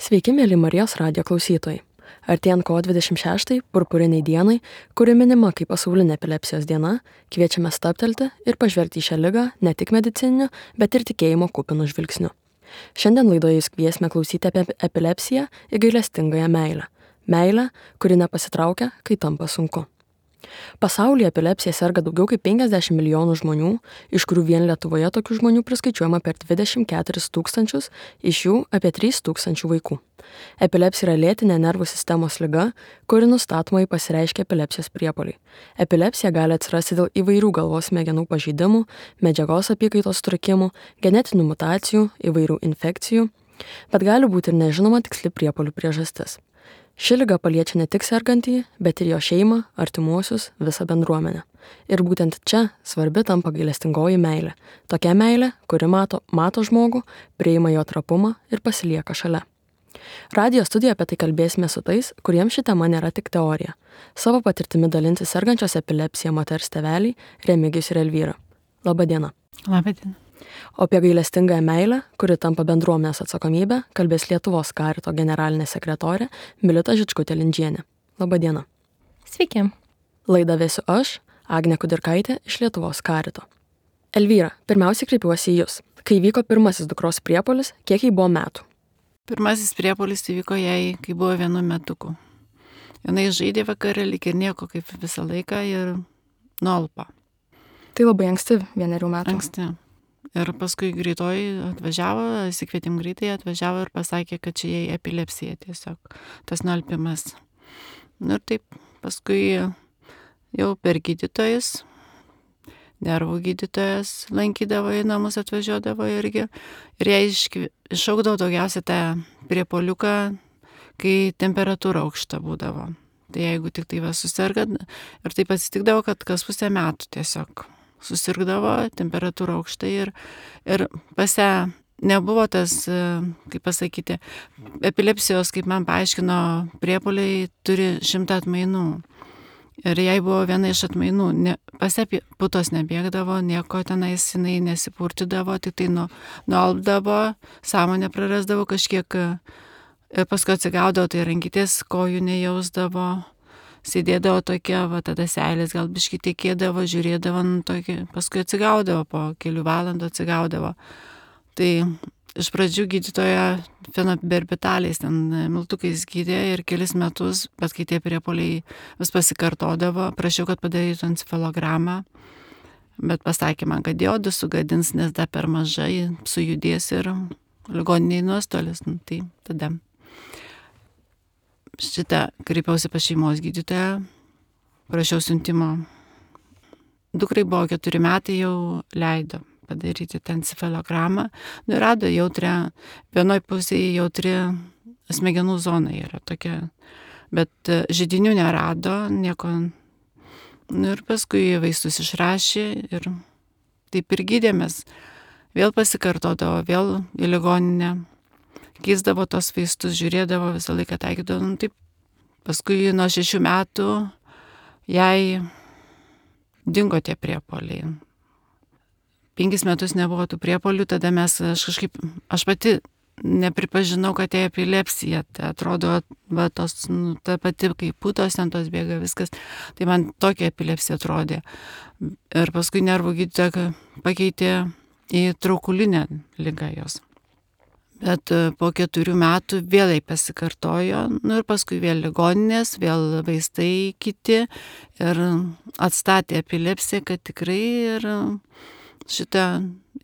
Sveiki, mėly Marijos radijo klausytojai. Artėjant kovo 26 purpuriniai dienai, kuri minima kaip pasaulinė epilepsijos diena, kviečiame stabtelti ir pažvelgti į šią ligą ne tik medicininiu, bet ir tikėjimo kupinu žvilgsniu. Šiandien laidoje jūs kviesime klausyti apie epilepsiją ir gailestingąją meilę. Meilę, kuri nepasitraukia, kai tampa sunku. Pasaulyje epilepsija serga daugiau kaip 50 milijonų žmonių, iš kurių vien Lietuvoje tokių žmonių priskaičiuojama per 24 tūkstančius, iš jų apie 3 tūkstančių vaikų. Epilepsija yra lėtinė nervų sistemos liga, kuri nustatomai pasireiškia epilepsijos priepuoliai. Epilepsija gali atsirasti dėl įvairių galvos smegenų pažeidimų, medžiagos apykaitos sutrikimų, genetinių mutacijų, įvairių infekcijų, bet gali būti ir nežinoma tiksli priepuolių priežastis. Ši liga paliečia ne tik sergantįjį, bet ir jo šeimą, artimuosius, visą bendruomenę. Ir būtent čia svarbi tampa gailestingoji meilė. Tokia meilė, kuri mato žmogų, priima jo trapumą ir pasilieka šalia. Radijo studijoje apie tai kalbėsime su tais, kuriems ši tema nėra tik teorija. Savo patirtimi dalinsis sergančios epilepsija moters tėveliai Remigijus ir Elvyra. Labadiena. Labadiena. O apie gailestingąją meilę, kuri tampa bendruomenės atsakomybė, kalbės Lietuvos karito generalinė sekretorė Milita Žičkutė-Lindžienė. Labadiena. Sveiki. Laidą vesiu aš, Agnė Kudirkaitė iš Lietuvos karito. Elvyra, pirmiausiai kreipiuosi į Jus. Kai vyko pirmasis dukros priepuolis, kiek jai buvo metų? Pirmasis priepuolis įvyko jai, kai buvo 1 metuku. Jinai žaidė vakarą, lyg ir nieko kaip visą laiką ir nualpo. Tai labai anksti, 1 metų. Anksti. Ir paskui greitoji atvažiavo, įsikvietėm greitai, atvažiavo ir pasakė, kad čia jai epilepsija tiesiog, tas nualpimas. Ir taip, paskui jau per gydytojus, nervų gydytojas lankydavo į namus, atvažiuodavo irgi. Ir jai iššaukdavo daugiausia tą priepuoliuką, kai temperatūra aukšta būdavo. Tai jeigu tik tai susirga, ir taip atsitikdavo, kad kas pusę metų tiesiog susirgdavo, temperatūra aukšta ir pas ją nebuvo tas, kaip pasakyti, epilepsijos, kaip man paaiškino, priepuoliai turi 100 atmainų. Ir jai buvo viena iš atmainų, pas ją putos nebėgdavo, nieko tenais jinai nesipurtydavo, tik tai nualpdavo, sąmonę prarasdavo kažkiek, ir paskui atsigaudavo, tai rankytės kojų nejausdavo. Sėdėdavo tokia, tada seilės gal biškį tekėdavo, žiūrėdavo, paskui atsigaudavo, po kelių valandų atsigaudavo. Tai iš pradžių gydytoja fenobarbitalais, ten miltukais gydė ir kelis metus, bet kai tie priepuoliai vis pasikartodavo, prašiau, kad padarytų encefalogramą, bet pasakė man, kad diodus sugadins, nes dar per mažai sujudės ir ligoniniai nuostolis. Tai tada šitą kreipiausi pas šeimos gydytoją, prašiau siuntimo. Dukrai buvo 4 metai, jau leido padaryti tą encefalogramą. Rado jautrią, vienoj pusėje jautri smegenų zona yra tokia, bet židinių nerado, nieko. Ir paskui vaistus išrašė ir taip ir gydėmės. Vėl pasikartodavo, vėl į ligoninę. Keisdavo tos vaistus, žiūrėdavo, visą laiką taikydavo. Taip, paskui nuo 6 metų jai dingo tie priepuoliai. 5 metus nebuvo tų priepuolių, tada aš pati nepripažinau, kad tai epilepsija. Tai atrodo, ta pati kaip putos, ten tos bėga viskas. Tai man tokia epilepsija atrodė. Ir paskui nervų gydytoja pakeitė į traukulinę ligą jos. Bet po 4 metų vėl jai pasikartojo, ir paskui vėl ligoninės, vėl vaistai kiti ir atstatė epilepsiją, kad tikrai ir šita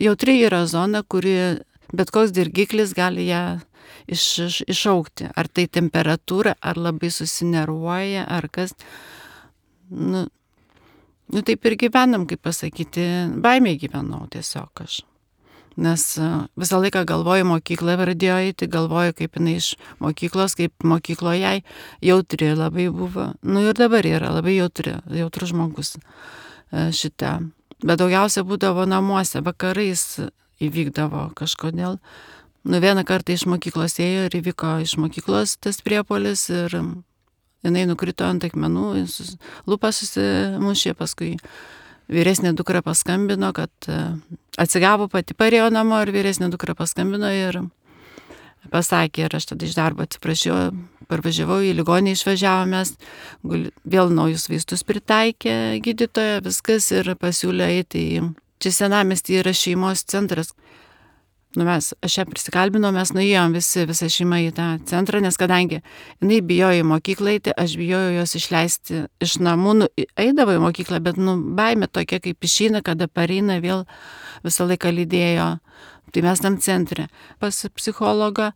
jautri yra zona, kuri bet koks dirgiklis gali ją iššaukti. Ar tai temperatūra, ar labai susinervuoja, ar kas. Taip ir gyvenam, kaip pasakyti, baimė gyvenau tiesiog aš. Nes visą laiką galvoju, mokyklą pradėjo eiti, galvoju, kaip jinai iš mokyklos, kaip mokykloje jai jautri labai buvo. Ir dabar yra labai jautrus žmogus šitą. Bet daugiausia būdavo namuose, vakarais įvykdavo kažkodėl. Vieną kartą iš mokyklos ėjo ir įvyko iš mokyklos tas priepuolis ir jinai nukrito ant akmenų, lūpą susimušė, paskui vyresnė dukra paskambino, kad atsigavo, pati parėjo namo ir vyresnė dukra paskambino ir pasakė ir aš tada iš darbo atsiprašiau, parvažiavau į ligoninę, išvažiavomės, vėl naujus vaistus pritaikė gydytoja, viskas ir pasiūlė eiti į, čia senamiesty yra šeimos centras. Aš ją prisikalbinau, mes nuėjom visa šeima į tą centrą, nes kadangi jinai bijojo į mokyklą eiti, aš bijojau jos išleisti iš namų, eidavo į mokyklą, bet baimė tokia, kaip išeina, kada pareina, vėl visą laiką lydėjo. Tai mes tam centre pas psichologą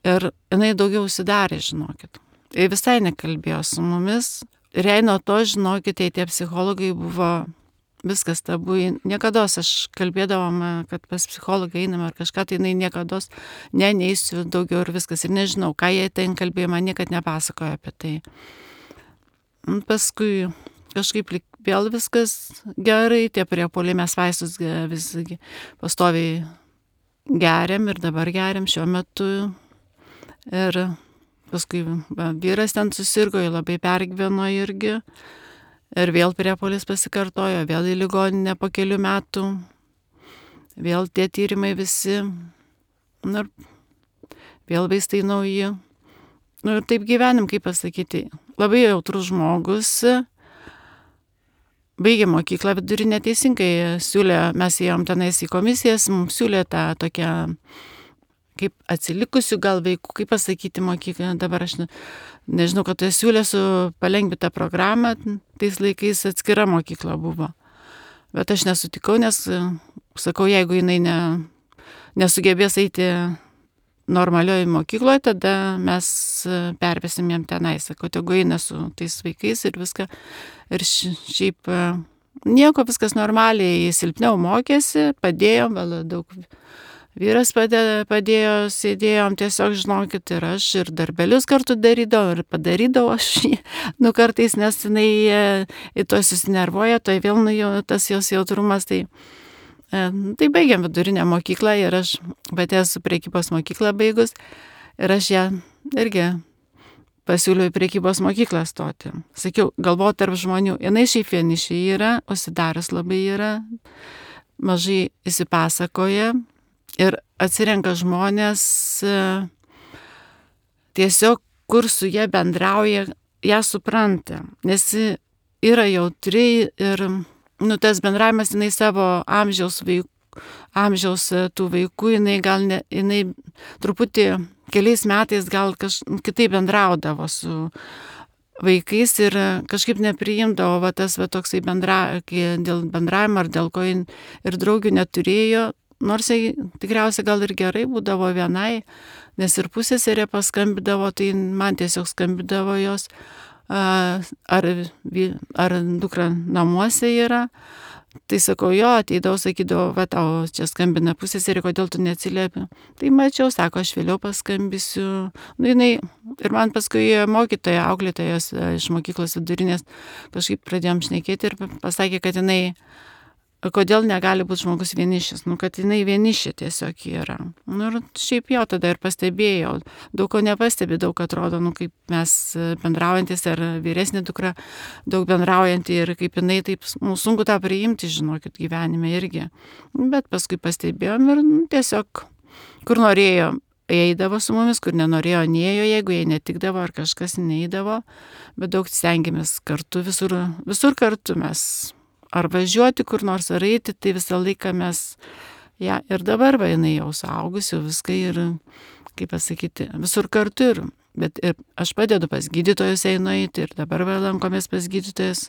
ir jinai daugiau užsidarė, žinokit. Ir visai nekalbėjo su mumis. Ir jei nuo to, žinokit, tie psichologai buvo viskas tabu. Niekados aš kalbėdavom, kad pas psichologą einame ar kažką, tai jinai niekados neisiu daugiau ir viskas. Ir nežinau, ką jie ten kalbėjo, man niekad nepasakojo apie tai. Paskui kažkaip vėl viskas gerai, tie priepuoliai, mes vaistus visgi pastoviai geriam ir dabar geriam šiuo metu. Ir paskui vyras ten susirgo, jį labai pergyveno irgi. Ir vėl priepuolis pasikartojo, vėl į ligoninę po kelių metų. Vėl tie tyrimai visi. Ir vėl vaistai nauji. Ir taip gyvenim, kaip pasakyti. Labai jautrus žmogus. Baigė mokyklą vidurinę teisingai. Mes ėjom tenais į komisijas, mums siūlė tą tokią kaip atsilikusių gal vaikų, kaip pasakyti mokyklą, dabar aš nežinau, kad tai siūlė su palengvintą programą, tais laikais atskira mokykla buvo. Bet aš nesutikau, nes sakau, jeigu jinai nesugebės eiti normalioje mokykloje, tada mes pervesim jam tenai, sakau, tegu eina su tais vaikais ir viską. Ir šiaip nieko, viskas normaliai, silpniau mokėsi, padėjom, daug. Vyras padėjo, sėdėjom, tiesiog žinokit, ir aš ir darbelius kartu darydavau ir padarydavau aš kartais, nes jinai į to susinervuoja, to vėl tas jos jautrumas, tai baigiam vidurinę mokyklą ir aš pati esu prekybos mokyklą baigus ir aš ją irgi pasiūliau į prekybos mokyklą stoti. Sakiau, galvoti tarp žmonių, jinai šiaip vienišė yra, užsidaręs labai yra, mažai įsipasakoja. Ir atsirenka žmonės tiesiog, kur su jie bendrauja, ją supranta. Nes yra jautri ir tas bendravimas, jinai savo amžiaus tų vaikų, jinai truputį keliais metais gal kitaip bendraudavo su vaikais ir kažkaip nepriimdavo tas toksai dėl bendravimo ar dėl ko ir draugių neturėjo. Nors tikriausiai gal ir gerai būdavo vienai, nes ir pusseserė paskambidavo, tai man tiesiog skambidavo jos, ar dukra namuose yra. Tai sakau, jo, ateidavau, sakydavau, va tau čia skambina pusseserė, kodėl tu neatsiliepi. Tai mačiau, sako, aš vėliau paskambisiu. Ir man paskui mokytoja, auklėtojas iš mokyklos vidurinės kažkaip pradėjom šnekėti ir pasakė, kad jinai kodėl negali būti žmogus vienišis, kad jinai vienišė tiesiog yra. Ir šiaip jau tada ir pastebėjau, daug ko nepastebi, daug atrodo, kaip mes bendraujantis ar vyresnė dukra, daug bendraujanti ir kaip jinai, taip sunku tą priimti, žinokit, gyvenime irgi. Bet paskui pastebėjom ir tiesiog, kur norėjo, eidavo su mumis, kur nenorėjo, neėjo, jeigu jai netikdavo ar kažkas neįdavo, bet daug stengiamės kartu, visur kartu mes. Ar važiuoti kur nors, ar eiti, tai visą laiką mes, ir dabar jinai jau suaugusi, viską ir, kaip pasakyti, visur kartu bet ir aš padedu pas gydytojus einu eiti ir dabar lankomės pas gydytojus,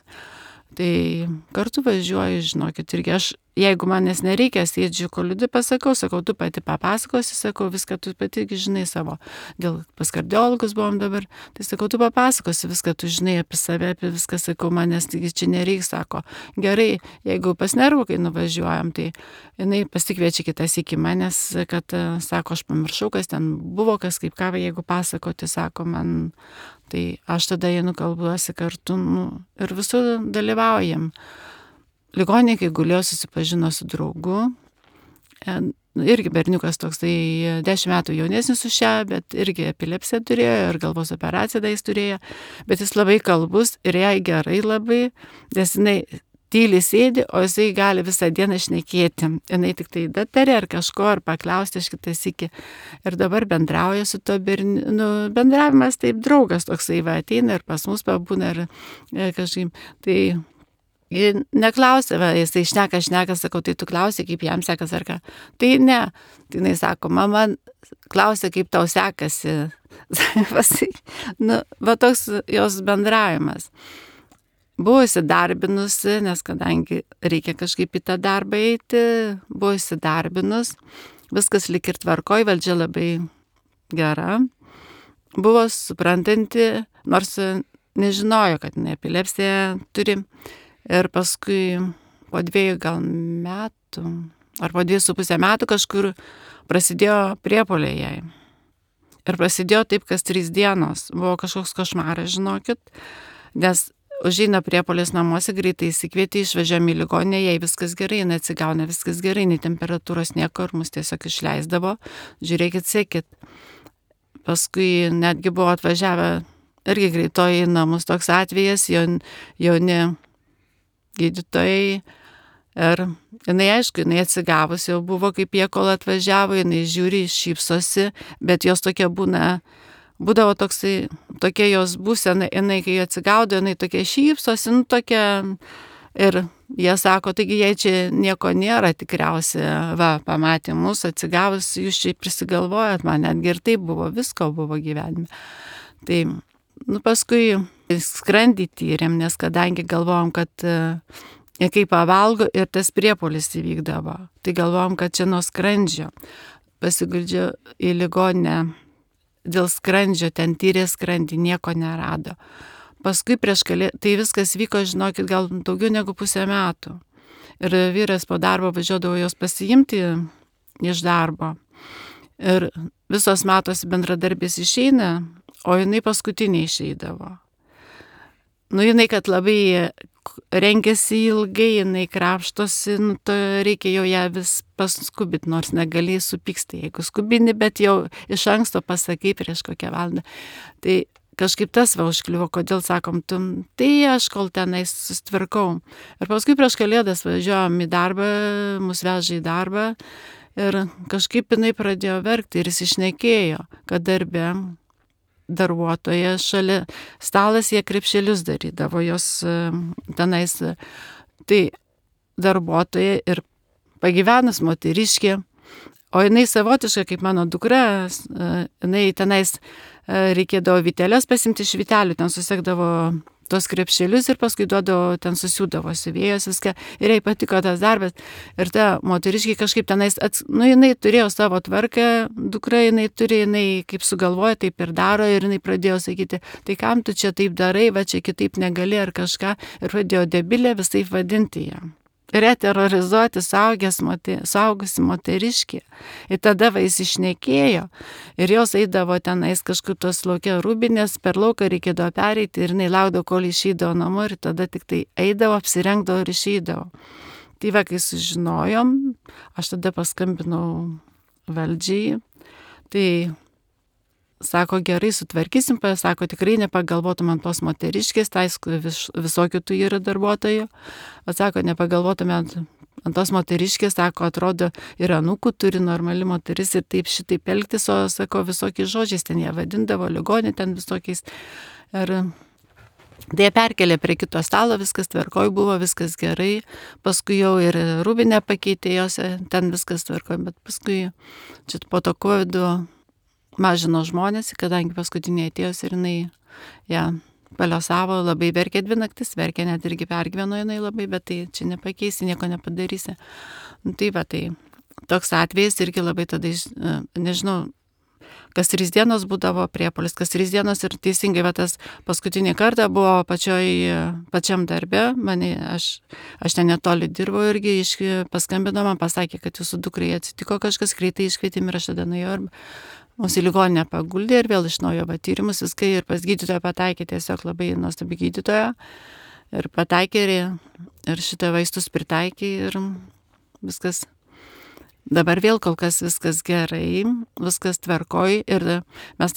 tai kartu važiuoju, žinokit, irgi aš, jeigu manęs nereikia, sėdžiu kolidui, sakau, tu pati papasakosi, sakau, viską tu pati žinai savo, dėl pas kardiologus buvom dabar, tai sakau, tu papasakosi viską, tu žinai apie save, apie viską, sakau, manęs čia nereiks, sako, gerai, jeigu pas nervų, kai nuvažiuojam, tai jinai pasikviečia kitas iki manęs, kad, sako, aš pamiršau, kas ten buvo, kas kaip ką, jeigu pasakoti, sako, man, tai aš tada einu kalbuosi kartu, ir visur dalyvaujam. Ligoninėje, kai gulėjo, susipažino su draugu, irgi berniukas toksai 10 metų jaunesnis už šią, bet irgi epilepsiją turėjo ir galvos operaciją jis turėjo, bet jis labai kalbus ir jai gerai labai, nes jinai tyliai sėdi, o jisai gali visą dieną šnekėti. Jinai tik tai datarė ar kažko, ar paklausti aš kitas iki. Ir dabar bendrauja su to berniuku. Bendravimas taip draugas toksai va ateina ir pas mus pabūna ir kažkaip. Tai neklausė, jisai šneka, sakau, tai tu klausė, kaip jam sekas ar ką. Tai ne, tai jinai sako, mama klausė, kaip tau sekasi. Va toks jos bendravimas. Buvo įsidarbinusi, nes kadangi reikia kažkaip į tą darbą eiti, buvo įsidarbinus, viskas lik ir tvarkoj, valdžia labai gera. Buvo suprantanti, nors nežinojo, kad epilepsiją turi. Ir paskui po 2 gal metų, ar po 2,5 metų kažkur prasidėjo priepuoliai jai. Ir prasidėjo taip, kas 3 dienos. Buvo kažkoks košmaras, žinokit, nes užeina priepuolis namuose, greitai įsikvietė, išvažiuojame į ligoninę, jai viskas gerai, jinai atsigauna, viskas gerai, nei temperatūros nieko, ir mus tiesiog išleisdavo. Žiūrėkit, sekit. Paskui netgi buvo atvažiavę irgi greitoji į namus toks atvejas, jauni gydytojai. Ir jinai, aišku, jinai atsigavus jau buvo, kaip jie kol atvažiavo, jinai žiūri, šypsosi, bet jos tokia būdavo tokia jos būsena, jinai, kai atsigaudo, jinai tokia šypsosi, tokia. Ir jie sako, taigi jai čia nieko nėra tikriausiai, pamatė mus atsigavus, jūs čia prisigalvojat, man netgi ir taip buvo, visko buvo gyvenime. Tai, paskui skrandį tyrėm, nes kadangi galvojom, kad kai pavalgo ir tas priepuolis įvykdavo, tai galvojom, kad čia nuo skrandžio. Pasiguldžiau į ligoninę dėl skrandžio, ten tyrė skrandį, nieko nerado. Paskui tai viskas vyko, žinokit, gal daugiau negu 1,5 metų. Ir vyras po darbo važiuodavo jos pasiimti iš darbo. Ir visos matosi bendradarbės išeina, o jinai paskutinė išeidavo. Jinai, kad labai renkėsi ilgai, jinai krapštosi, reikia jau ją vis paskubit, nors negalėjai supyksti, jeigu skubini, bet jau iš anksto pasakai prieš kokią valandą. Tai kažkaip tas užkliuvo, kodėl sakom, tai aš kol tenais susitvarkau. Ir paskui prieš Kalėdas važiuojom į darbą, mus vežė į darbą ir kažkaip jinai pradėjo verkti ir jis išnekėjo, kad darbe darbuotoja šalia stalas, jie krepšelius darydavo jos tenais. Tai darbuotoja ir pagyvenus moteriškė, o jinai savotiška, kaip mano dukra, jinai tenais reikėdavo vyteles pasimti iš vytelių, ten susekdavo tos krepšelius ir paskui duodavo, ten susiūdavo siuvėjos viską ir jai patiko tas darbas. Ir ta moteriškė kažkaip tenais, jinai turėjo savo tvarką, dukra jinai kaip sugalvoja, taip ir daro ir jinai pradėjo sakyti, tai kam tu čia taip darai, va čia kitaip negali ar kažką ir pradėjo debilę visai vadinti ją. Reterorizuoti saugusi moteriškį. Ir tada jis išnekėjo ir jos eidavo tenais kažkur tos laukia rūbinės, per lauką reikėdavo pereiti ir jinai laukdavo, kol išeidavo namo ir tada tik tai eidavo, apsirengdavo ir išeidavo. Tai kai sužinojom, aš tada paskambinau valdžiai, tai sako, gerai, sutvarkysim, sako, tikrai nepagalvotum ant tos moteriškės, tai visokių tų yra darbuotojų, sako, nepagalvotum ant tos moteriškės, sako, atrodo, ir anūkų turi normali moteris ir taip šitaip elgtis, o sako, visokiais žodžiais ten jie vadindavo, ligonį ten visokiais. Ir tai jie perkelė prie kito stalo, viskas tvarkoj buvo, viskas gerai, paskui jau ir rūbinę pakeitė jos, ten viskas tvarkoj, bet paskui čia po to COVID-o mažino žmonės, kadangi paskutinė atėjus ir jinai paliosavo, labai verkė 2 naktis, verkė net irgi pergyveno jinai labai, bet tai čia nepakeisi, nieko nepadarysi. Tai toks atvejis irgi labai tada, nežinau, kas 3 dienos būdavo priepuolis, kas 3 dienos ir teisingai, tas paskutinį kartą buvo pačiam darbe, aš ten netoli dirbau irgi, paskambino man, pasakė, kad jūsų dukrai atsitiko kažkas, greitai iškvietėm ir aš tada nuėjau ir mūsų ligoninę paguldė ir vėl iš naujo tyrimus viską ir pas gydytoją pataikė, tiesiog labai nuostabi gydytoja ir pataikė ir šitą vaistus pritaikė ir viskas. Dabar vėl kol kas viskas gerai, viskas tvarkoj ir mes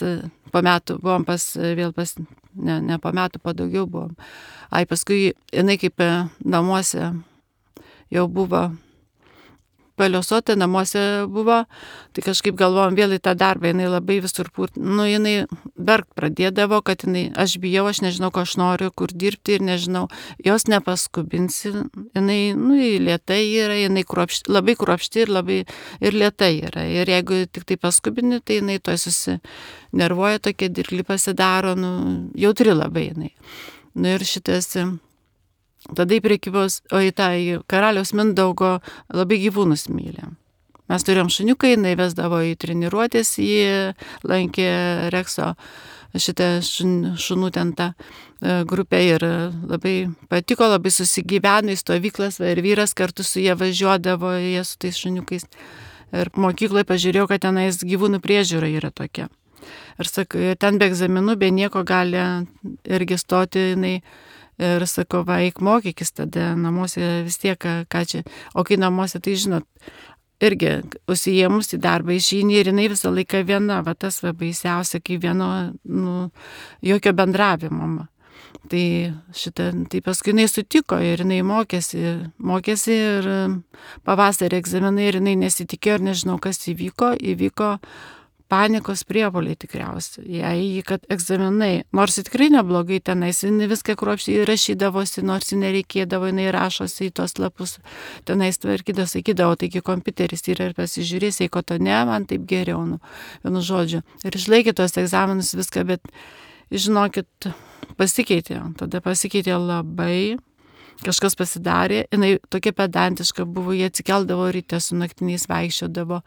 po metų buvom vėl pas ne po metų, po daugiau buvom. Paskui jinai kaip namuose jau buvo paliosota, namuose buvo, tai kažkaip galvojom vėl į tą darbą, jinai labai visur jinai verkt pradėdavo, kad aš bijau, aš nežinau, ko aš noriu, kur dirbti ir nežinau, jos nepaskubinsi, jinai, lėtai yra, jinai labai kruopšti ir lėtai yra, ir jeigu tik tai paskubini, tai jinai to susinervuoja, tokia dirgli pasidaro, jautri labai jinai. Ir šitas tada į prekybos, į karaliaus Mindaugo labai gyvūnus myli. Mes turėjom šuniuką, jinai vesdavo į treniruotės, jį lankė Rekso šitą šunų ten tą grupę ir labai patiko, labai susigyveno į stovyklas ir vyras kartu su jie važiuodavo, jie su tais šuniukais. Ir mokykloje pažiūrėjau, kad tenais gyvūnų priežiūra yra tokia. Ir sakai, ten be egzaminų, be nieko gali irgi stoti jinai. Ir sako, eik mokykis tada namuose vis tiek, ką čia. O kai namuose, tai žinot, irgi užsijėmus į darbą išeini ir jinai visą laiką viena, tas baisiausia, kai vieno, jokio bendravimo. Tai paskui jinai sutiko ir jinai mokėsi ir pavasarį egzaminai ir jinai nesitikėjo ir nežinau, kas įvyko panikos priepuoliai tikriausiai. Jei, kad egzaminai, nors tikrai neblogai tenais, jinai viską kruopščiai rašydavosi, nors nereikėdavo, jinai rašosi į tos lapus, tenais tvarkydavo, sakydavo, taigi kompiuteris yra ir pasižiūrės, jeigu to ne, man taip geriau, vienu žodžiu. Ir išlaikė tos egzaminus viską, bet, žinokit, tada pasikeitė labai, kažkas pasidarė, jinai tokia pedantiška buvo, jie atsikeldavo ryte su naktiniais vaikščiodavo,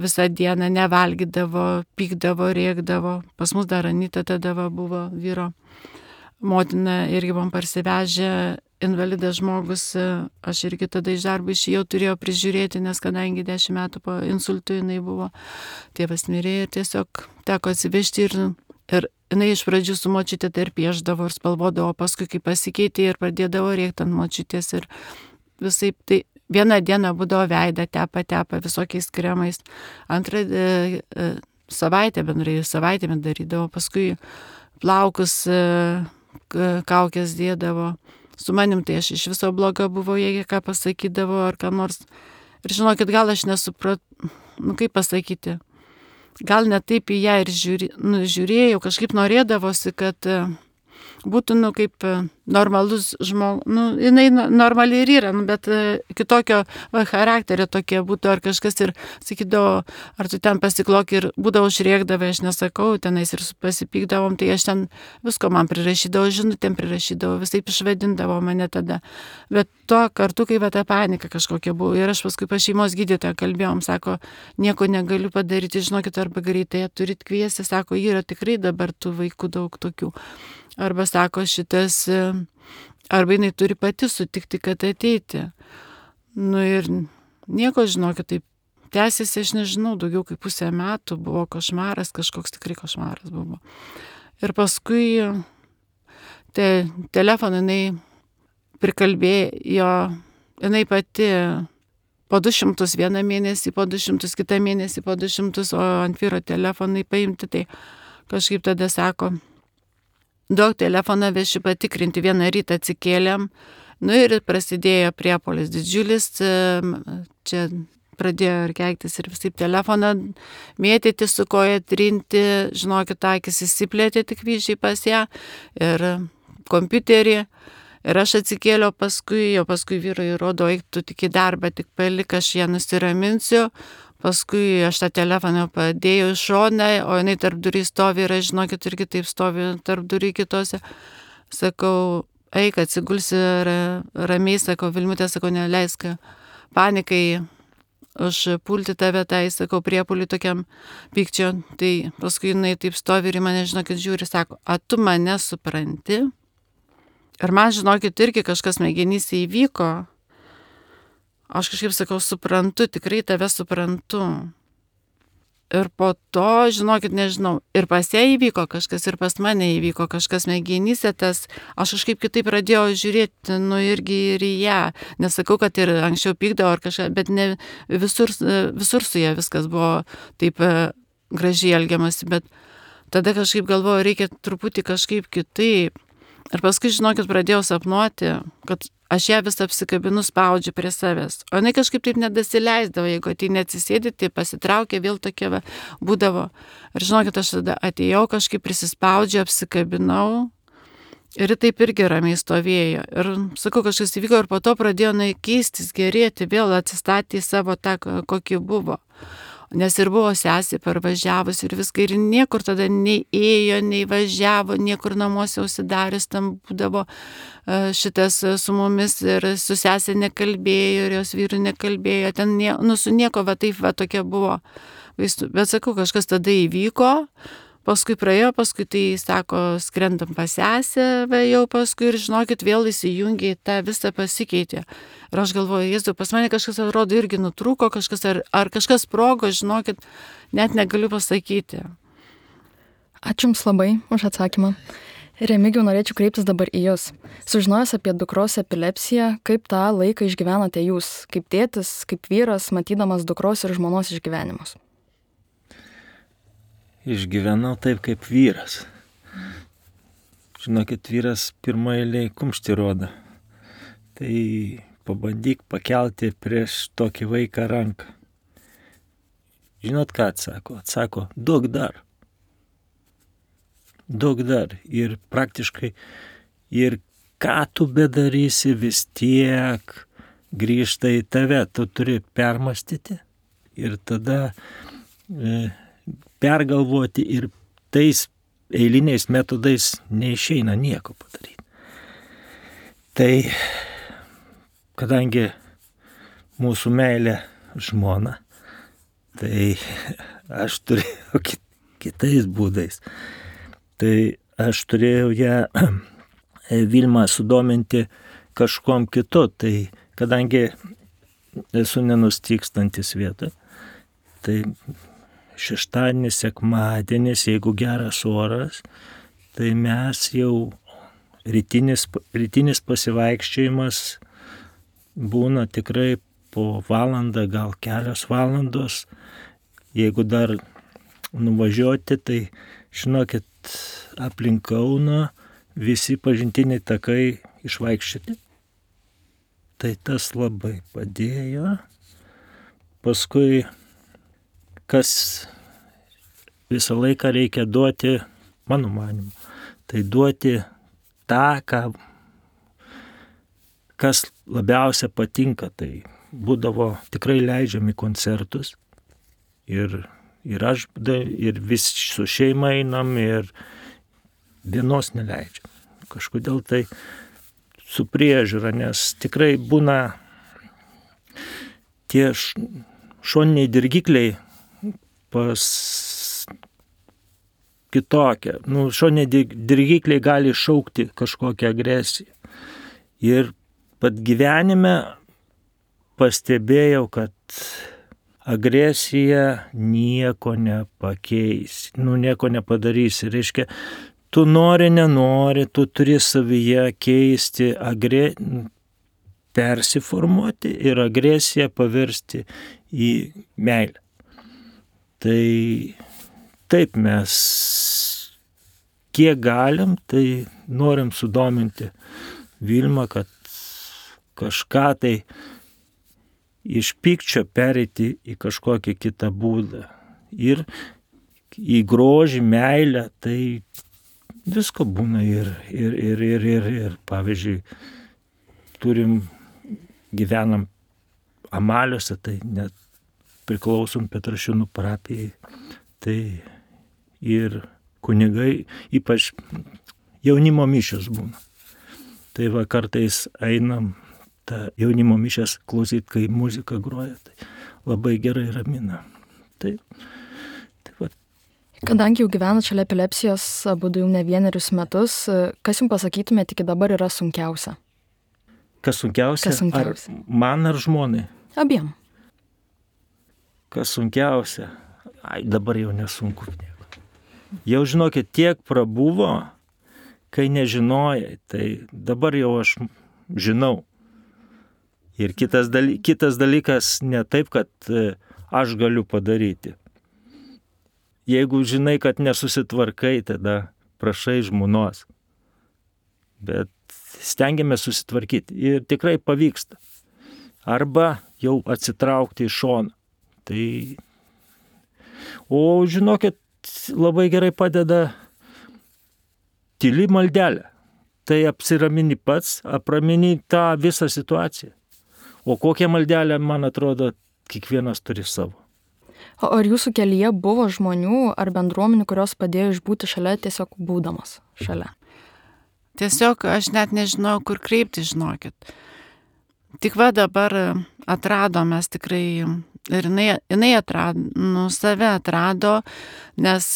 visą dieną nevalgydavo, pykdavo, rėkdavo. Pas mus dar Anita tada buvo vyro motina, irgi buvom parsivežę, invalidas žmogus, aš irgi tada iš darbo išėjau, turėjau prižiūrėti, nes kadangi 10 metų po insultų jinai buvo, tėvas mirė ir tiesiog teko atsivežti ir jinai iš pradžių su močiutė tai ir pieždavo ir spalvodavo, paskui kai pasikeitė ir pradėdavo rėkti ant močiutės ir visaip tai. Vieną dieną būdavo veidą tepa visokiais kremais, antrą savaitėmis darydavo, paskui plaukus, kaukės dėdavo. Su manim tai aš iš viso bloga buvo, jeigu ką pasakydavo ar ką nors. Ir žinokit, gal aš nesupratau, kaip pasakyti, gal ne taip į ją ir žiūrėjau, kažkaip norėdavosi, kad būtų, kaip normalus žmogus, jinai normaliai ir yra, bet kitokio charakterio tokie būtų ar kažkas ir sakydavo, ar tu ten pasiklok ir būdavo užrėkdavai, aš nesakau, tenais ir pasipykdavom, tai aš ten visko man prirašydavo, žinutėm prirašydavo, visaip išvadindavo mane tada. Bet tuo kartu, kai ta panika kažkokia buvo ir aš paskui pas šeimos gydytoją kalbėjom, sako, nieko negaliu padaryti, žinokit, arba greitai turit kviesti, sako, yra tikrai dabar tų vaikų daug tokių. Arba sako šitas, arba jinai turi pati sutikti, kad ateiti. Ir nieko, žinokit, taip tęsiasi, aš nežinau, daugiau kaip 5 metų buvo košmaras, kažkoks tikrai košmaras buvo. Ir paskui telefoną jinai prikalbėjo, jinai pati po 200 vieną mėnesį, po 200 kitą mėnesį, po 200, o ant vyro telefonai paimti, tai kažkaip tada sako, duok telefoną, vešiu patikrinti, vieną rytą atsikėlėm, ir prasidėjo priepuolis didžiulis, čia pradėjo ir keiktis ir visaip telefoną mėtyti, su koja trinti, žinokit, akis įsiplėtė tik vyžiai pas ją ir kompiuterį. Ir aš atsikėliau paskui vyrai rodo, eik tu tik į darbą, tik palik, aš ją nusiraminsiu. Paskui aš tą telefoną padėjau į šoną, o jinai tarp durų stovi ir aš, žinokit, irgi taip stovi tarp durų kitose. Sakau, eik, atsigulsi ramiai, sakau, Vilmutė, sakau, neleisk panikai užpulti tave, tai, sakau, priepuliui tokiam pykčio. Tai paskui jinai taip stovi ir mane, žinokit, žiūri, sako, a tu mane supranti? Ir man, žinokit, irgi kažkas smegenyse įvyko. Aš kažkaip sakau, suprantu, tikrai tave suprantu. Ir po to, žinokit, nežinau, ir pas ją įvyko kažkas, ir pas mane įvyko kažkas smegenyse, tas, aš kažkaip kitaip pradėjau žiūrėti, irgi ir į ją. Nesakau, kad ir anksčiau pykdavo ar kažką, bet ne visur su ją viskas buvo taip gražiai elgiamasi, bet tada kažkaip galvoju, reikia truputį kažkaip kitaip. Ir paskui, žinokit, pradėjau sapnuoti, kad aš ją vis apsikabinu, spaudžiu prie savęs. O jinai kažkaip taip nedasileisdavo, jeigu ateini atsisėdi, tai pasitraukia, vėl tokia būdavo. Ir žinokit, aš tada atėjau, kažkaip prisispaudžiu, apsikabinau. Ir taip irgi ramiai stovėjo. Ir sakau, kažkas įvyko ir po to pradėjo keistis, gerėti, vėl atsistatė į savo tą, kokį buvo. Nes ir buvo sesė parvažiavus ir viską, ir niekur tada nei ėjo, nei važiavo, niekur namuose užsidarius, tam būdavo šitas su mumis ir su sesė nekalbėjo, ir jos vyru nekalbėjo, ten su nieko, taip, tokia buvo. Bet sakau, kažkas tada įvyko, paskui praėjo, paskui tai, sako, skrendam pas sesę, jau paskui ir žinokit, vėl įsijungė, tą visą pasikeitė. Ir aš galvoju, Jėzau, pas mane kažkas atrodo irgi nutrūko, kažkas, ar kažkas sprogo, žinokit, net negaliu pasakyti. Ačiū Jums labai už atsakymą. Remigijau, norėčiau kreiptis dabar į Jūs. Sužinojęs apie dukros epilepsiją, kaip tą laiką išgyvenote Jūs, kaip tėtis, kaip vyras, matydamas dukros ir žmonos išgyvenimus? Išgyvenau taip kaip vyras. Žinokit, vyras pirmą eilėj kumštį rodo. Tai pabandyk pakelti prieš tokį vaiką ranką. Žinot, ką atsako? Atsako, duok dar. Duok dar. Ir praktiškai, ir ką tu bedarysi, vis tiek grįžta į tave. Tu turi permastyti ir tada pergalvoti, ir tais eiliniais metodais neišeina nieko padaryti. Tai kadangi mūsų meilė žmona, tai aš turėjau kitais būdais. Tai aš turėjau ją Vilmą sudominti kažkom kitu. Tai kadangi esu nenustykstantis vietoj, tai šeštadienis, sekmadienis, jeigu geras oras, tai mes jau rytinis pasivaikščiojimas būna tikrai po valandą, gal kelios valandos. Jeigu dar nuvažiuoti, tai žinokit, aplink Kauną visi pažintiniai takai išvaikščioti. Tai tas labai padėjo. Paskui kas visą laiką reikia duoti, mano manimu, tai duoti tą, kas labiausia patinka. Tai būdavo tikrai leidžiami koncertus ir aš, ir visi su šeima einam, ir vienos neleidžiam. Kažkodėl tai su priežiūra, nes tikrai būna tie šoniniai dirgikliai pas kitokią. Šoniniai dirgikliai gali šaukti kažkokią agresiją. Ir pat gyvenime pastebėjau, kad agresija nieko nepakeis, nieko nepadarysi. Reiškia, tu nori, nenori, tu turi savyje keisti, persiformuoti ir agresiją paversti į meilę. Tai taip mes kiek galim, tai norim sudominti Vilmą, kad kažką tai iš pykčio pereiti į kažkokį kitą būdą. Ir į grožį, meilę, tai visko būna ir pavyzdžiui, gyvenam Amaliuose, tai net priklausom Petrašiūnų parapijai. Tai ir kunigai, ypač jaunimo mišios būna. Tai va kartais einam tą jaunimo mišias klausyti, kai muzika groja, tai labai gerai ramina. Tai va. Kadangi jau gyvenat šalia epilepsijos abudu jau ne vienerius metus, kas jums pasakytumėte iki dabar yra sunkiausia? Kas sunkiausia? Ar man ar žmonai? Abiem. Kas sunkiausia? Dabar jau nesunku. Jau žinokit, tiek prabuvo, kai nežinojai, tai dabar jau aš žinau. Ir kitas dalykas ne taip, kad aš galiu padaryti. jeigu žinai, kad nesusitvarkai, tada prašai žmonos. Bet stengiamės susitvarkyti ir tikrai pavyksta. Arba jau atsitraukti iš šono. Tai, o žinokit, labai gerai padeda tyli maldelė. Tai apsiramini pats, apramini tą visą situaciją. O kokią maldelę, man atrodo, kiekvienas turi savo. O ar jūsų kelyje buvo žmonių ar bendruomenių, kurios padėjo išbūti šalia tiesiog būdamas šalia? Tiesiog aš net nežinau, kur kreipti, žinokit. Tik va dabar atradom mes tikrai, ir jinai atrado, save atrado, nes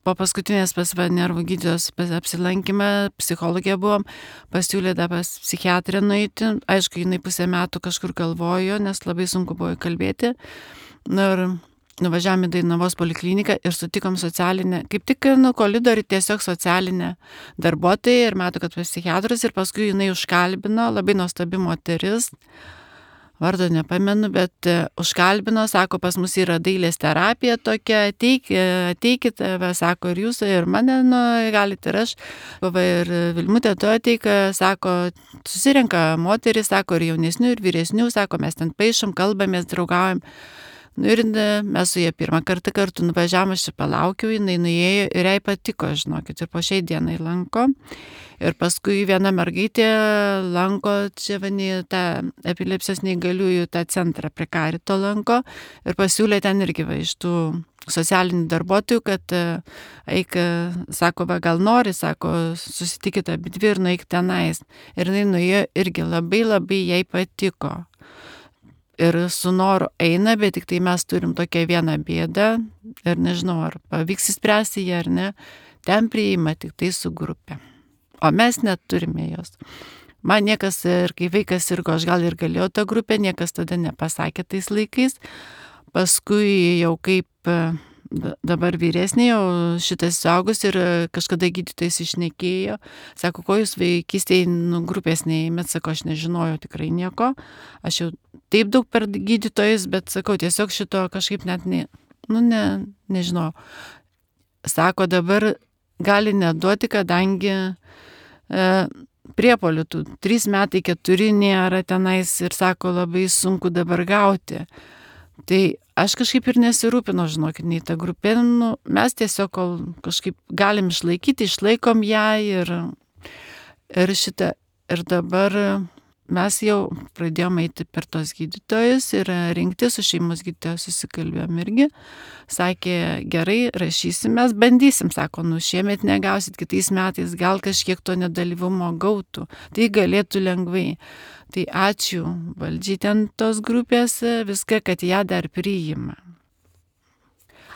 po paskutinės pas nervų gydytojos apsilankymą, psichologija buvom, pasiūlė dar pas psichiatrę nueiti. Aišku, jinai pusę metų kažkur galvojo, nes labai sunku buvo kalbėti. Ir nuvažiavome į Dainavos polikliniką ir sutikom socialinę, kaip tik koridorių tiesiog socialinę darbuotoją ir matau, kad pas psichiatrus, ir paskui jinai užkalbino, labai nuostabi moteris, vardo nepamenu, bet užkalbino, sako, pas mus yra dailės terapija tokia, ateikit, sako, ir jūs, ir mane galite, ir aš, ir Vilmutė tu ateik, sako, susirenka moteris, sako, ir jaunesnių, ir vyresnių, sako, mes ten paišom, kalbamės, draugaujam. Ir mes su jie pirmą kartą kartu nuvažiavom, aš čia palaukiau, jinai nuėjo ir jai patiko, žinokit, ir po šiai dienai lanko. Ir paskui viena mergaitė lanko čia tą epilepsijos neįgaliųjų tą centrą prie Karito lanko ir pasiūlė ten irgi iš tų socialinių darbuotojų, kad eik, sako, gal nori, sako, susitikit abidvi ir nueik tenais. Ir jinai nuėjo irgi labai labai jai patiko. Ir su noru eina, bet tik tai mes turim tokią vieną bėdą ir nežinau, ar pavyks įspręsti ją ar ne, ten priima tik tai su grupė. O mes neturime jos. Man niekas, ir kai vaikas sirgo, aš gal ir galėjau tą grupę, niekas tada nepasakė tais laikais. Paskui jau kaip dabar vyresnė, jau šitas suaugus ir kažkada gydytojas išnekėjo, sako, ko jūs vaikystėje grupės neėmėt, sako, aš nežinojau tikrai nieko, aš jau taip daug per gydytojus, bet sakau, tiesiog šito kažkaip net nežinau. Sako, dabar gali neduoti, kadangi priepolių tų 3 metai 4 nėra tenais ir sako, labai sunku dabar gauti. Tai aš kažkaip ir nesirūpinu, žinokit, nei tą grupę, mes tiesiog kol kažkaip galim išlaikyti, išlaikom ją ir šitą. Ir dabar mes jau pradėjome eiti per tos gydytojus ir rinkti su šeimos gydytojus susikalbėjom irgi. Sakė, gerai, rašysim, mes bandysim, sako, šiemet negausit, kitais metais gal kažkiek to nedalyvumo gautų. Tai galėtų lengvai. Tai ačiū valdžiai ten tos grupės, viską, kad ją dar priima.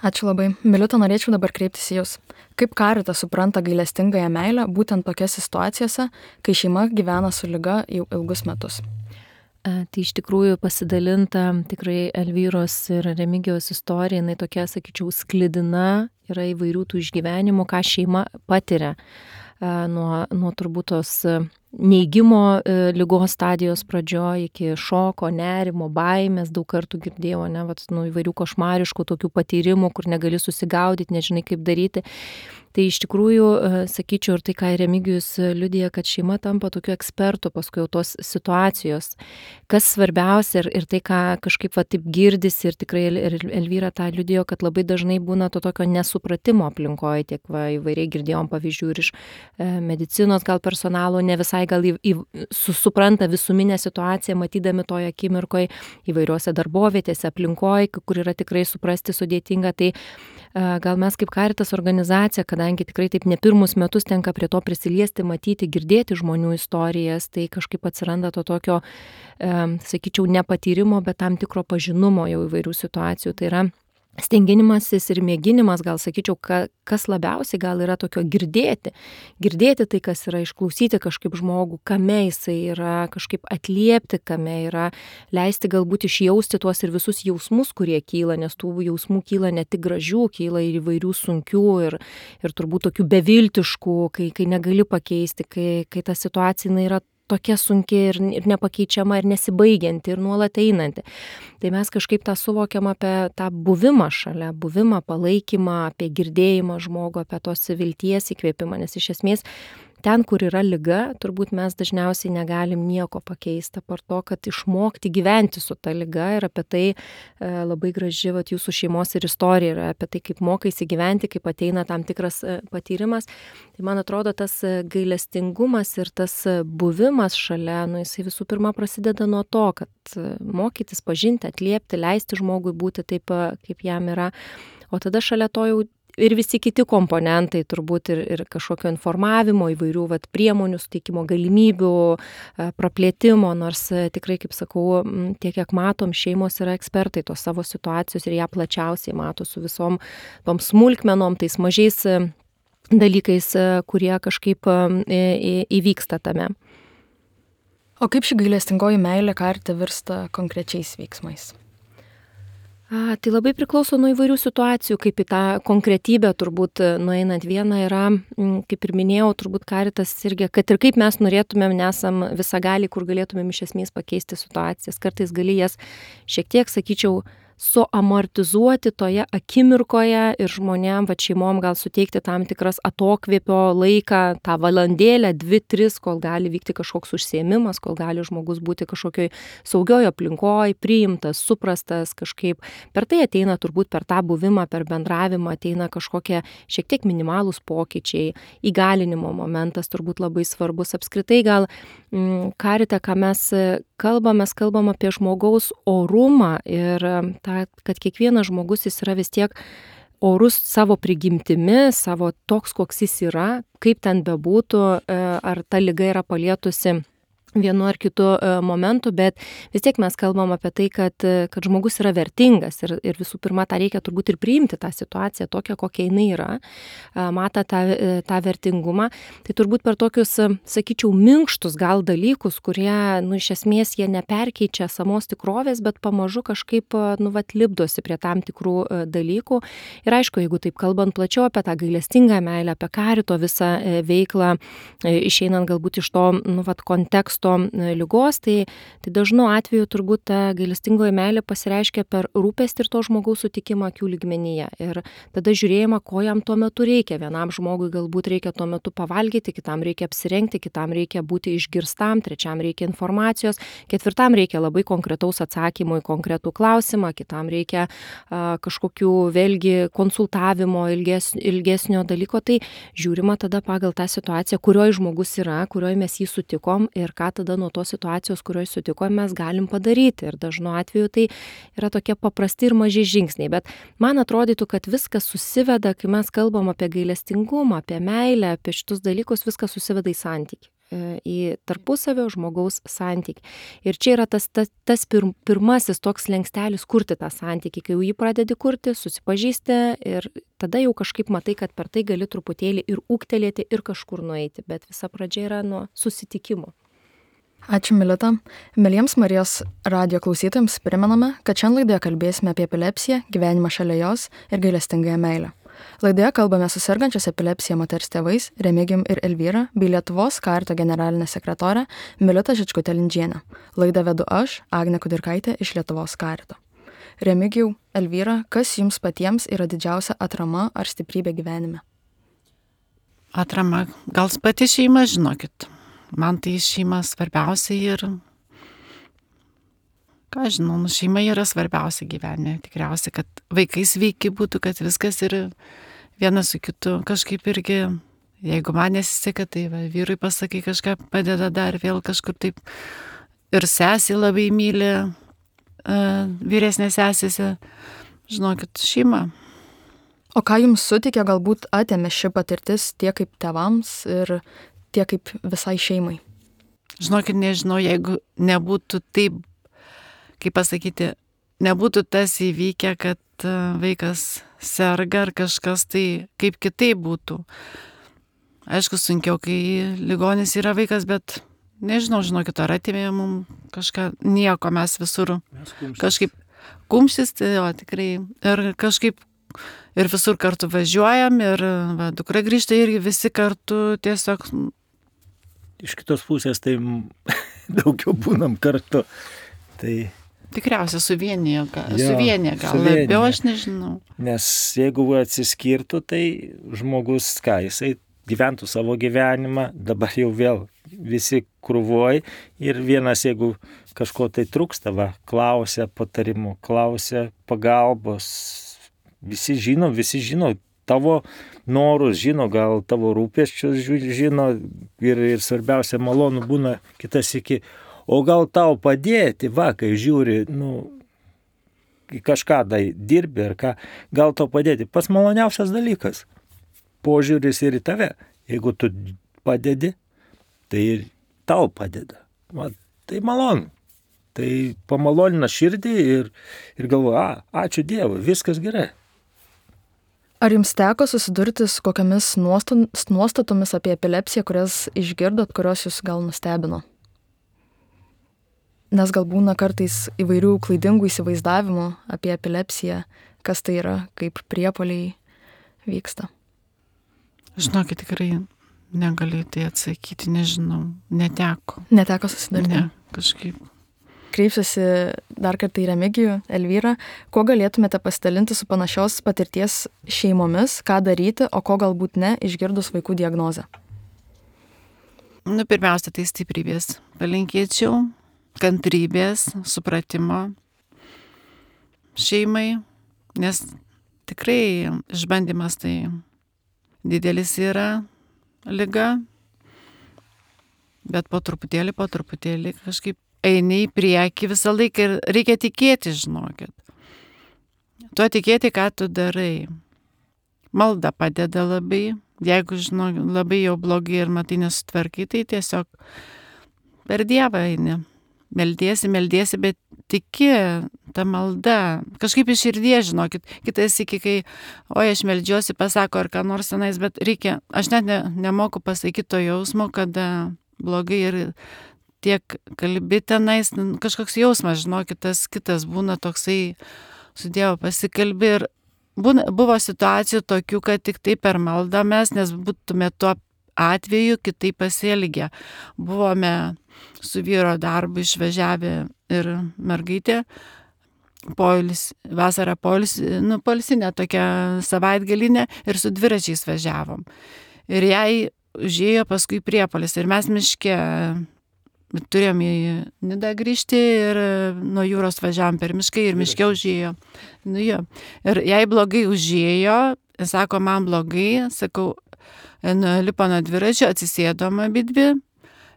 Ačiū labai. Miliuta, norėčiau dabar kreiptis į Jūs. Kaip Caritas supranta gailestingąją meilę būtent tokiose situacijose, kai šeima gyvena su liga jau ilgus metus? Tai iš tikrųjų pasidalinta tikrai Elvyros ir Remigijaus istorija, jinai tokia, sakyčiau, sklidina, yra įvairių tų išgyvenimų, ką šeima patiria nuo turbūt tos neigimo ligos stadijos pradžioje iki šoko, nerimo, baimės, daug kartų girdėjau, įvairių košmariškų tokių patyrimų, kur negali susigaudyti, nežinai kaip daryti. Tai iš tikrųjų, sakyčiau, ir tai, ką Remigijus liudija, kad šeima tampa tokiu ekspertu paskui jau tos situacijos. Kas svarbiausia ir tai, ką kažkaip taip girdisi ir tikrai Elvyra tą liudijo, kad labai dažnai būna to tokio nesupratimo aplinkoje, tiek įvairiai girdėjom pavyzdžių ir iš medicinos gal personalo, ne visai gal supranta visuminę situaciją, matydami toje akimirkoje įvairiuose darbovietėse, aplinkoje, kur yra tikrai suprasti sudėtinga. Tai gal mes kaip Caritas organizacija, kadangi tikrai taip ne pirmus metus tenka prie to prisiliesti, matyti, girdėti žmonių istorijas, tai kažkaip atsiranda to tokio, sakyčiau, nepatyrimo, bet tam tikro pažinumo jau įvairių situacijų. Tai yra stenginimasis ir mėginimas, gal sakyčiau, kas labiausiai gal yra tokio girdėti tai, kas yra, išklausyti kažkaip žmogų, kame jisai yra, kažkaip atliepti, kame yra, leisti galbūt išjausti tuos ir visus jausmus, kurie kyla, nes tų jausmų kyla ne tik gražių, kyla ir įvairių sunkių ir turbūt tokių beviltiškų, kai negali pakeisti, kai ta situacija yra tokia sunki ir nepakeičiama ir nesibaigianti ir nuolat einanti. Tai mes kažkaip tą suvokiam apie tą buvimą šalia, buvimą, palaikymą, apie girdėjimą žmogų, apie tos vilties įkvėpimą, nes iš esmės ten, kur yra liga, turbūt mes dažniausiai negalim nieko pakeisti, apart to, kad išmokti gyventi su ta liga ir apie tai labai graži jūsų šeimos ir istorija yra apie tai, kaip mokaisi gyventi, kaip ateina tam tikras patyrimas. Tai man atrodo, tas gailestingumas ir tas buvimas šalia, jisai visų pirma prasideda nuo to, kad mokytis, pažinti, atliepti, leisti žmogui būti taip, kaip jam yra. O tada šalia to jau ir visi kiti komponentai, turbūt ir kažkokio informavimo, įvairių priemonių, suteikimo galimybių, praplėtimo, nors tikrai, kaip sakau, tiek, kiek matom, šeimos yra ekspertai tos savo situacijos ir ją plačiausiai mato su visom tom smulkmenom, tais mažais dalykais, kurie kažkaip įvyksta tame. O kaip ši gailestingoji meilė karite virsta konkrečiais veiksmais? Tai labai priklauso nuo įvairių situacijų, kaip į tą konkretybę turbūt nueinant. Viena yra, kaip ir minėjau, turbūt karitas irgi, kad ir kaip mes norėtumėm, nesam visagaliai, kur galėtumėm iš esmės pakeisti situacijas. Kartais gali jas šiek tiek, sakyčiau, suamortizuoti toje akimirkoje ir žmonėm, šeimom gal suteikti tam tikras atokvėpio laiką, tą valandėlę, 2-3, kol gali vykti kažkoks užsiėmimas, kol gali žmogus būti kažkokioj saugioje aplinkoje, priimtas, suprastas kažkaip. Per tai ateina turbūt per tą buvimą, per bendravimą ateina kažkokie šiek tiek minimalūs pokyčiai, įgalinimo momentas turbūt labai svarbus. Apskritai gal karite, ką mes kalbam apie žmogaus orumą ir kad kiekvienas žmogus jis yra vis tiek orus savo prigimtimi, savo toks, koks jis yra, kaip ten bebūtų, ar ta liga yra palietusi vienu ar kitu momentu, bet vis tiek mes kalbam apie tai, kad žmogus yra vertingas ir visų pirma, tą reikia turbūt ir priimti tą situaciją tokią, kokia jinai yra, mata tą vertingumą. Tai turbūt per tokius, sakyčiau, minkštus gal dalykus, kurie, iš esmės jie neperkeičia samos tikrovės, bet pamažu kažkaip, lipdosi prie tam tikrų dalykų. Ir aišku, jeigu taip kalbant plačiau apie tą gailestingą meilę, apie karito visą veiklą, išeinant galbūt iš to, konteksto ligos, tai dažnu atveju turbūt ta gailestingoji meilė pasireiškia per rūpestį ir to žmogaus sutikimą akių lygmenyje. Ir tada žiūrėjimą, ko jam tuo metu reikia. Vienam žmogui galbūt reikia tuo metu pavalgyti, kitam reikia apsirengti, kitam reikia būti išgirstam, trečiam reikia informacijos, ketvirtam reikia labai konkretaus atsakymo į konkretų klausimą, kitam reikia kažkokių vėlgi konsultavimo ilgesnio dalyko. Tai žiūrima tada pagal tą situaciją, kurioje žmogus yra, kurioje mes jį sutikom ir ką tada nuo tos situacijos, kurioje sutikom, mes galim padaryti. Ir dažnu atveju tai yra tokie paprasti ir maži žingsniai. Bet man atrodytų, kad viskas susiveda, kai mes kalbam apie gailestingumą, apie meilę, apie šitus dalykus, viskas susiveda į santykį. Į tarpusavio žmogaus santykį. Ir čia yra tas pirmasis toks slenkstelis kurti tą santykį. Kai jau jį pradedi kurti, susipažįsti ir tada jau kažkaip matai, kad per tai gali truputėlį ir ūgtelėti ir kažkur nueiti. Bet visa pradžia yra nuo susitikimo. Ačiū, Milita. Mieliems Marijos radijo klausytojams primename, kad šiandien laidoje kalbėsime apie epilepsiją, gyvenimą šalia jos ir gailestingąją meilę. Laidoje kalbame su sergančios epilepsija moters tėvais Remigijum ir Elvyra bei Lietuvos karito generalinė sekretorė Milita Žičkutė-Lindžienė. Laidą vedu aš, Agnė Kudirkaitė iš Lietuvos karito. Remigijau, Elvyra, kas jums patiems yra didžiausia atrama ar stiprybė gyvenime? Atrama, gal pati šeima, žinokit. Man tai šeima svarbiausia ir, ką žinau, šeima yra svarbiausia gyvenime. Tikriausiai, kad vaikai sveiki būtų, kad viskas ir vienas su kitu kažkaip irgi, jeigu man nesiseka, tai vyrui pasakai kažką padeda dar vėl kažkur taip. Ir sesė labai myli, vyresnė sesėse, žinokit, šeima. O ką jums sutikė, galbūt atėmė ši patirtis tiek kaip tėvams ir tiek kaip visai šeimai? Žinokit, nežinau, jeigu nebūtų taip, kaip pasakyti, nebūtų tas įvykę, kad vaikas serga ar kažkas, tai kaip kitaip būtų. Aišku, sunkiau, kai ligonis yra vaikas, bet nežinau, žinokit, ar atėmė mums kažką, nieko, mes visur kažkaip kumštis, tai jo, tikrai, ir kažkaip ir visur kartu važiuojam, ir dukra grįžta irgi visi kartu tiesiog iš kitos pusės tai daugiau būnam kartu. Tai Tikriausiai suvienė gal suvienija. labiau, aš nežinau. Nes jeigu atsiskirtų, tai žmogus, jisai gyventų savo gyvenimą, dabar jau vėl visi krūvoj ir vienas, jeigu kažko tai trūksta, klausia patarimų, klausia pagalbos, visi žino tavo norus, žino gal tavo rūpesčius, žino ir svarbiausia malonu būna kitas iki. O gal tau padėti, kai žiūri, kažką dirbi ar ką, gal tau padėti. Pats maloniausias dalykas. Požiūris ir į tave. Jeigu tu padedi, tai ir tau padeda. Tai malonu. Tai pamalonina širdį ir galvoja, ačiū Dievui, viskas gerai. Ar jums teko susidurti su kokiamis nuostatomis apie epilepsiją, kurias išgirdot, kurios jūs gal nustebino? Nes gal būna kartais įvairių klaidingų įsivaizdavimų apie epilepsiją, kas tai yra, kaip priepuoliai vyksta. Žinokit, tikrai negaliu tai atsakyti, nežinau, neteko. Neteko susidurti? Ne, kažkaip. Kreipsiuosi dar kartą į Remigijų, Elvyrą. Kuo galėtumėte pasidalinti su panašios patirties šeimomis, ką daryti, o ko galbūt ne, išgirdus vaikų diagnozę? Pirmiausia, tai stiprybės palinkėčiau. Kantrybės, supratimo šeimai, nes tikrai išbandymas tai didelis yra liga, bet po truputėlį kažkaip eini į priekį visą laiką ir reikia tikėti, žinokit. Tuo tikėti, ką tu darai. Malda padeda labai, jeigu labai jau blogai ir matai nesutvarkai, tai tiesiog per Dievą eini. Meldiesi, bet tiki tą maldą. Kažkaip iš širdies, žinokit. Kitas iki, kai, aš meldžiuosi, pasako ar ką nors tenais, bet reikia, aš net nemoku pasakyti to jausmo, kada blogai ir tiek kalbi tenais, kažkoks jausmas, žinokit, tas kitas būna toksai, su Dievu pasikalbi ir buvo situacijų tokių, kad tik tai per maldą mes, nes būtume tuo atveju kitaip pasielgę. Buvome su vyro darbu išvažiavę ir mergaitė, vasarą poilsinę tokią savaitgalinę ir su dviračiais važiavom. Ir jai užėjo paskui priepuolis ir mes miške turėjom į Nidą grįžti ir nuo jūros važiavom per mišką ir miške užėjo. Ir jai blogai užėjo, sako, man blogai, sakau, lipo nuo dviračio, atsisėdom abidvi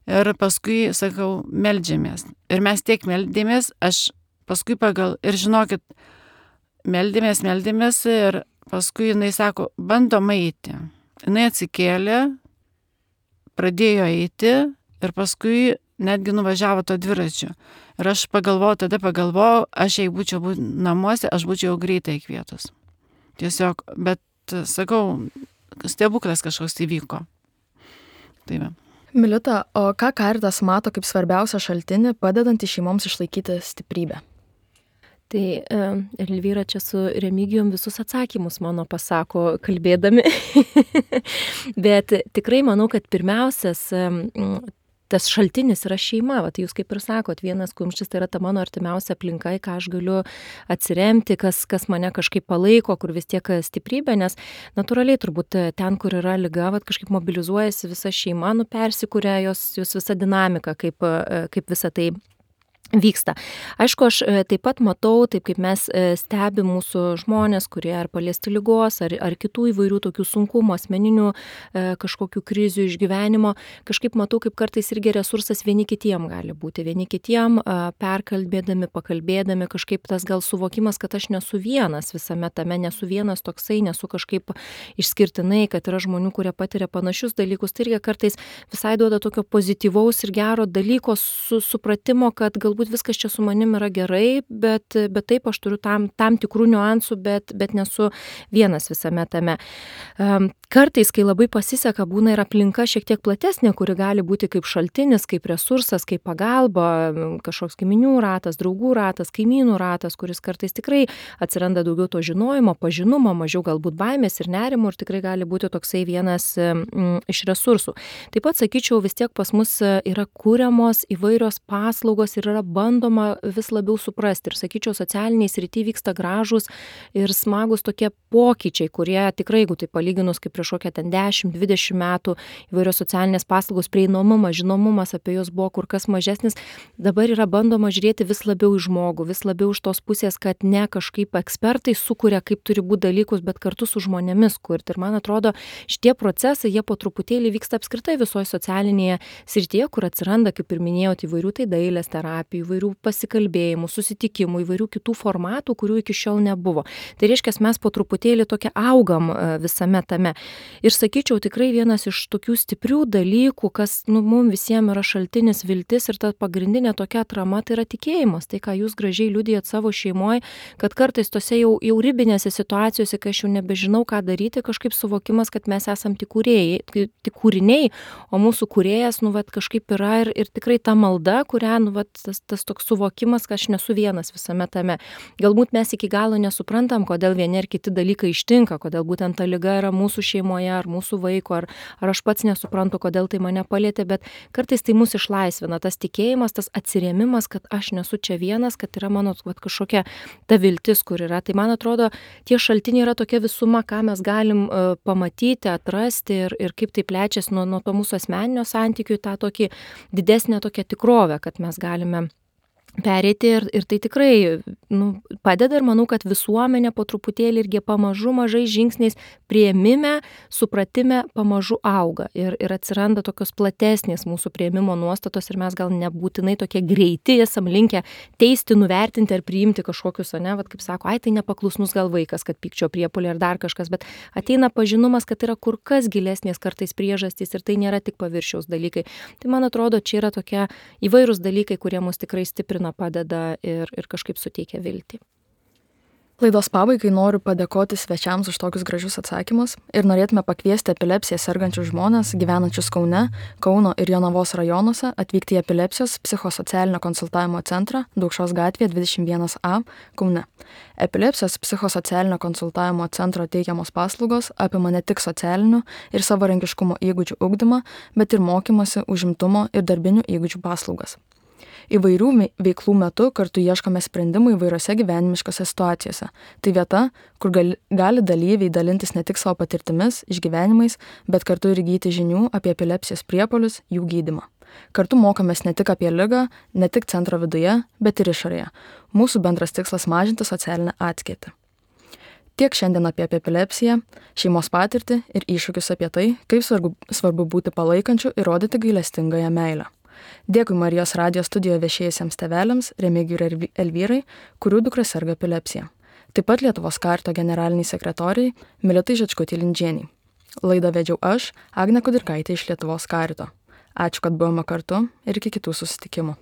ir paskui, sakau, meldžiamės. Ir mes tiek meldėmės, aš paskui ir žinokit, meldėmės ir paskui jinai sako, bandom eiti. Jinai atsikėlė, pradėjo eiti ir paskui netgi nuvažiavo to dviračio. Ir aš pagalvojau, aš jei būčiau namuose, aš būčiau greitai kvietus. Tiesiog, bet sakau, stebuklas kažkoks įvyko. Taip. Milita, o ką Caritas mato kaip svarbiausią šaltinį, padedantį šeimoms išlaikyti stiprybę? Tai Elvyra čia su Remigijum visus atsakymus mano pasako kalbėdami. Bet tikrai manau, kad pirmiausias tas šaltinis yra šeima. Tai jūs kaip ir sakot, vienas kumštis tai yra ta mano artimiausia aplinka, ką aš galiu atsiremti, kas mane kažkaip palaiko, kur vis tiek stiprybė, nes natūraliai turbūt ten, kur yra liga, kažkaip mobilizuojasi visa šeima, persikuria jos visa dinamika, kaip visa tai vyksta. Aišku, aš taip pat matau, taip kaip mes stebim mūsų žmonės, kurie ar paliesti ligos, ar kitų įvairių tokių sunkumų, asmeninių kažkokių krizių išgyvenimo, kažkaip matau, kaip kartais irgi resursas vieni kitiem gali būti. Vieni kitiem perkalbėdami, pakalbėdami, kažkaip tas gal suvokimas, kad aš nesu vienas visame tame, nesu vienas toksai, nesu kažkaip išskirtinai, kad yra žmonių, kurie patiria panašius dalykus. Tai irgi kartais visai duoda tokio pozityvaus ir gero dalyko supratimo, kad galbūt turbūt viskas čia su manim yra gerai, bet taip aš turiu tam tikrų niuansų, bet nesu vienas visame tame. Kartais, kai labai pasiseka, būna ir aplinka šiek tiek platesnė, kuri gali būti kaip šaltinis, kaip resursas, kaip pagalba, kažkoks giminių ratas, draugų ratas, kaimynų ratas, kuris kartais tikrai atsiranda daugiau to žinojimo, pažinumo, mažiau galbūt baimės ir nerimo ir tikrai gali būti toksai vienas iš resursų. Taip pat sakyčiau, vis tiek pas mus yra kūriamos įvairios paslaugos ir yra bandoma vis labiau suprasti. Ir sakyčiau, socialiniai srity vyksta gražūs ir smagus tokie pokyčiai, kurie tikrai, jeigu tai palyginus kaip prieš kokią ten 10-20 metų, įvairios socialinės paslaugos prieinamumas, žinomumas apie jos buvo kur kas mažesnis, dabar yra bandoma žiūrėti vis labiau į žmogų, vis labiau iš tos pusės, kad ne kažkaip ekspertai sukuria, kaip turi būti dalykus, bet kartu su žmonėmis kurti. Ir man atrodo, šitie procesai, jie po truputėlį vyksta apskritai visoje socialinėje srityje, kur atsiranda, kaip ir minėjot, įvairių tai dailės terapijų, įvairių pasikalbėjimų, susitikimų, įvairių kitų formatų, kurių iki šiol nebuvo. Tai reiškia, mes po truputėlį tokia augam visame tame. Ir sakyčiau, tikrai vienas iš tokių stiprių dalykų, kas mums visiems yra šaltinis viltis ir ta pagrindinė tokia atrama, tai yra tikėjimas. Tai, ką jūs gražiai liudijat savo šeimoje, kad kartais tose jau ribinėse situacijose, kai aš jau nebežinau, ką daryti, kažkaip suvokimas, kad mes esam tik kūriniai, o mūsų kūrėjas, kažkaip yra ir tikrai ta malda, kurią, tas toks suvokimas, kad aš nesu vienas visame tame. Galbūt mes iki galo nesuprantam, kodėl vieni ar kiti dalykai ištinka, kodėl būtent ta liga yra mūsų šeimoje, ar mūsų vaiko, ar aš pats nesuprantu, kodėl tai mane palietė, bet kartais tai mus išlaisvina, tas tikėjimas, tas atsirėmimas, kad aš nesu čia vienas, kad yra mano kažkokia ta viltis, kur yra. Tai man atrodo, tie šaltiniai yra tokia visuma, ką mes galim pamatyti, atrasti ir kaip tai plečiasi nuo to mūsų asmeninio santykių į tą tokį didesnę tokią tikrovę, kad mes galime pereiti ir tai tikrai padeda ir manau, kad visuomenė po truputėlį irgi pamažu mažai žingsniais priėmime, supratime pamažu auga ir atsiranda tokios platesnės mūsų priėmimo nuostatos ir mes gal nebūtinai tokie greiti esam linkę teisti, nuvertinti ar priimti kažkokius, kaip sako, tai nepaklusnus gal vaikas, kad pykčio priepuolė ar dar kažkas, bet ateina pažinumas, kad yra kur kas gilesnės kartais priežastys ir tai nėra tik paviršiaus dalykai. Tai man atrodo, čia yra tokie įvairūs dalykai, kurie mus tikrai stiprina, padeda ir kažkaip suteikia viltį. Laidos pabaigai noriu padėkoti svečiams už tokius gražius atsakymus ir norėtume pakviesti epilepsiją sergančius žmonės gyvenančius Kaune, Kauno ir Jonavos rajonuose atvykti į epilepsijos psichosocialinio konsultavimo centrą Daukšos gatvėje 21A Kaune. Epilepsijos psichosocialinio konsultavimo centro teikiamos paslaugos apima ne tik socialinių ir savarankiškumo įgūdžių ugdymą, bet ir mokymosi, užimtumo ir darbinių įgūdžių paslaugas. Įvairių veiklų metu kartu ieškome sprendimų įvairiose gyvenimiškose situacijose. Tai vieta, kur gali dalyviai dalintis ne tik savo patirtimis, išgyvenimais, bet kartu ir įgyti žinių apie epilepsijos priepuolius, jų gydymą. Kartu mokomės ne tik apie ligą, ne tik centro viduje, bet ir išorėje. Mūsų bendras tikslas mažinti socialinę atskirtį. Tiek šiandien apie epilepsiją, šeimos patirtį ir iššūkius apie tai, kaip svarbu būti palaikančiu ir rodyti gailestingąją meilę. Dėkui Marijos radijo studijoje viešėjusiems tėveliams Remigijui ir Elvyrai, kurių dukra serga epilepsija. Taip pat Lietuvos Karito generaliniai sekretoriai Militai Žečkutei-Lindžienei. Laidą vedžiau aš, Agnė Kudirkaitė iš Lietuvos Karito. Ačiū, kad buvome kartu ir iki kitų susitikimų.